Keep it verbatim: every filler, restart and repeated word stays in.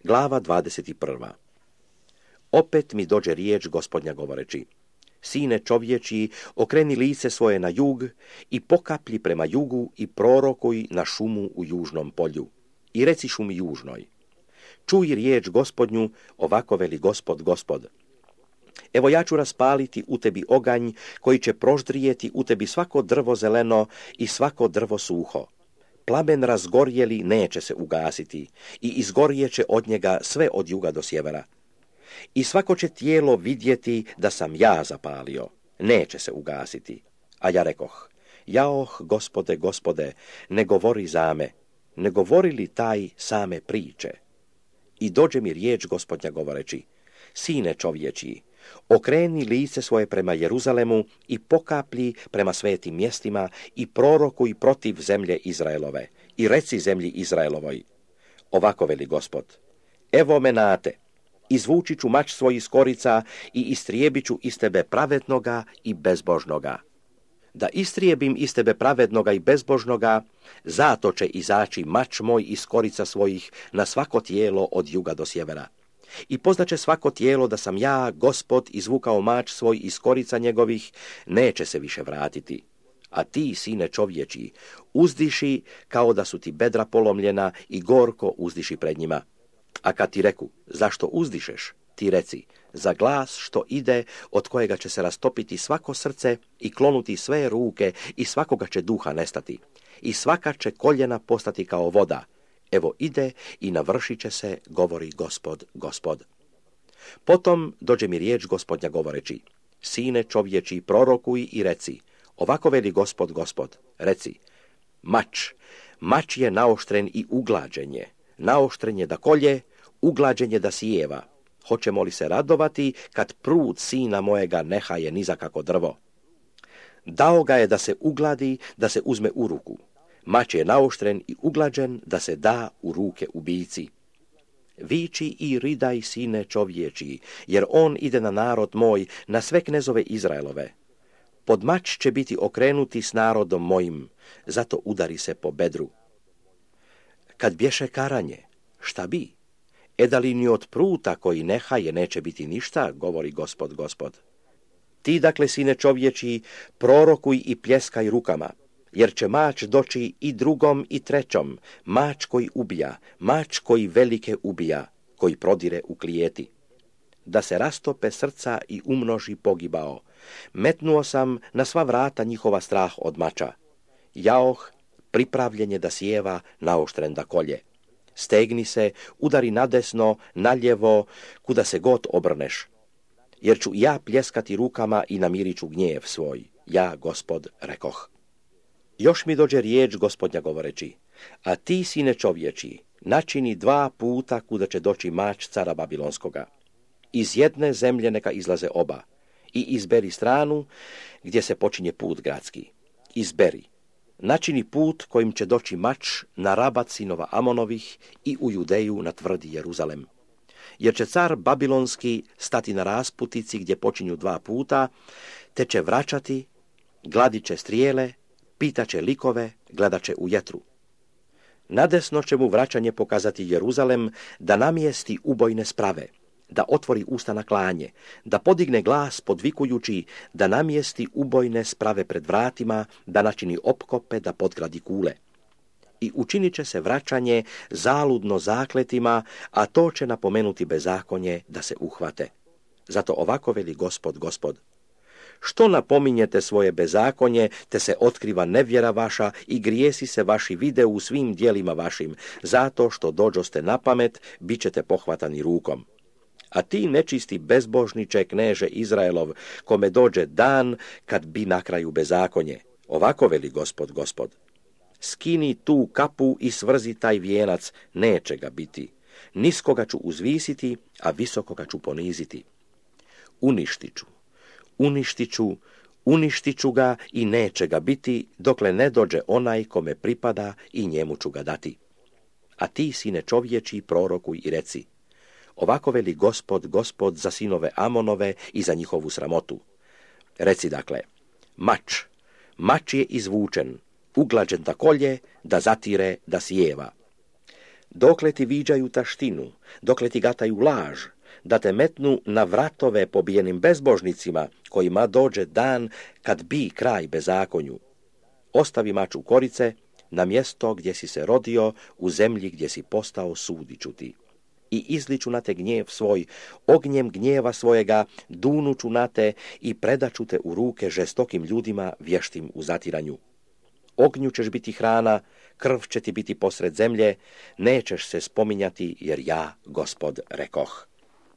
Glava dvadeset prva. Opet mi dođe riječ Gospodnja govoreći: Sine čovječiji, okreni lice svoje na jug i pokaplji prema jugu i prorokuj na šumu u južnom polju. I reci šumi južnoj: Čuj riječ Gospodnju, ovako veli Gospod, Gospod. Evo ja ću raspaliti u tebi oganj koji će proždrijeti u tebi svako drvo zeleno i svako drvo suho. Plamen razgorjeli neće se ugasiti i izgorjeće od njega sve od juga do sjevera. I svako će tijelo vidjeti da sam ja zapalio, neće se ugasiti. A ja rekoh: Jaoh, Gospode, Gospode, ne govori za me, ne govori li taj same priče? I dođe mi riječ Gospodnja govoreći: Sine čovječiji, okreni lice svoje prema Jeruzalemu i pokaplji prema svetim mjestima i prorokuj protiv zemlje Izraelove i reci zemlji Izraelovoj: Ovako veli Gospod, evo me nate, izvući ću mač svoj iz korica i istrijebit ću iz tebe pravednoga i bezbožnoga. Da istrijebim iz tebe pravednoga i bezbožnoga, zato će izaći mač moj iz korica svojih na svako tijelo od juga do sjevera. I poznaće svako tijelo da sam ja, Gospod, izvukao mač svoj iz korica njegovih, neće se više vratiti. A ti, sine čovječiji, uzdiši kao da su ti bedra polomljena i gorko uzdiši pred njima. A kad ti reku: Zašto uzdišeš? Ti reci: Za glas što ide, od kojega će se rastopiti svako srce i klonuti sve ruke i svakoga će duha nestati. I svaka će koljena postati kao voda. Evo ide i navršit će se, govori Gospod, Gospod. Potom dođe mi riječ Gospodnja govoreći: Sine čovječi, prorokuj i reci: Ovako veli Gospod, Gospod. Reci: Mač, mač je naoštren i uglađen je. Naoštren je da kolje, uglađen je da sijeva. Hoćemo li se radovati kad prud sina mojega nehaje nizakako drvo? Dao ga je da se ugladi, da se uzme u ruku. Mač je naoštren i uglađen da se da u ruke ubici. Viči i ridaj, sine čovječiji, jer on ide na narod moj, na sve knezove Izraelove. Pod mač će biti okrenuti s narodom mojim, zato udari se po bedru. Kad bješe karanje, šta bi? Eda li ni od pruta koji nehaje neće biti ništa, govori Gospod, Gospod. Ti, dakle, sine čovječiji, prorokuj i pljeskaj rukama, jer će mač doći i drugom i trećom, mač koji ubija, mač koji velike ubija, koji prodire u klijeti. Da se rastope srca i umnoži pogibao. Metnuo sam na sva vrata njihova strah od mača. Jaoh, pripravljen je da sjeva, naoštren da kolje. Stegni se, udari nadesno, naljevo, kuda se god obrneš. Jer ću ja pljeskati rukama i namirit ću gnjev svoj. Ja, Gospod, rekoh. Još mi dođe riječ Gospodnja govoreći: A ti, sine čovječiji, načini dva puta kuda će doći mač cara Babilonskoga. Iz jedne zemlje neka izlaze oba. I izberi stranu gdje se počinje put gradski. Izberi. Načini put kojim će doći mač na rabat sinova Amonovih i u Judeju na tvrdi Jeruzalem. Jer će car Babilonski stati na rasputici gdje počinju dva puta, te će vraćati, gladit će strijele, pitat će likove, gledat će u jetru. Nadesno će mu vraćanje pokazati Jeruzalem, da namjesti ubojne sprave, da otvori usta na klanje, da podigne glas podvikujući, da namjesti ubojne sprave pred vratima, da načini opkope, da podgradi kule. I učinit će se vraćanje zaludno zakletima, a to će napomenuti bezakonje da se uhvate. Zato ovako veli Gospod, Gospod. Što napominjete svoje bezakonje, te se otkriva nevjera vaša i grijesi se vaši vide u svim dijelima vašim, zato što dođoste na pamet, bit ćete pohvatani rukom. A ti, nečisti bezbožniče, kneže Izraelov, kome dođe dan kad bi na kraju bezakonje, ovako veli Gospod, Gospod. Skini tu kapu i svrzi taj vijenac, neće ga biti. Niskoga ću uzvisiti, a visokoga ću poniziti. Uništit ću, uništit ću, uništit ću ga i neće ga biti, dokle ne dođe onaj kome pripada i njemu ću ga dati. A ti, sine čovječi, prorokuj i reci: Ovako veli Gospod, Gospod za sinove Amonove i za njihovu sramotu. Reci dakle: Mač, mač je izvučen, uglađen da kolje, da zatire, da sjeva. dokle ti viđaju taštinu, dokle ti gataju laž, da te metnu na vratove pobijenim bezbožnicima, kojima dođe dan kad bi kraj bezakonju. Ostavi mač u korice, na mjesto gdje si se rodio, u zemlji gdje si postao sudiću ti. I izliču na te gnjev svoj, ognjem gnjeva svojega, dunuću na te i predaću te u ruke žestokim ljudima vještim u zatiranju. Ognju ćeš biti hrana, krv će ti biti posred zemlje, nećeš se spominjati jer ja, Gospod, rekoh.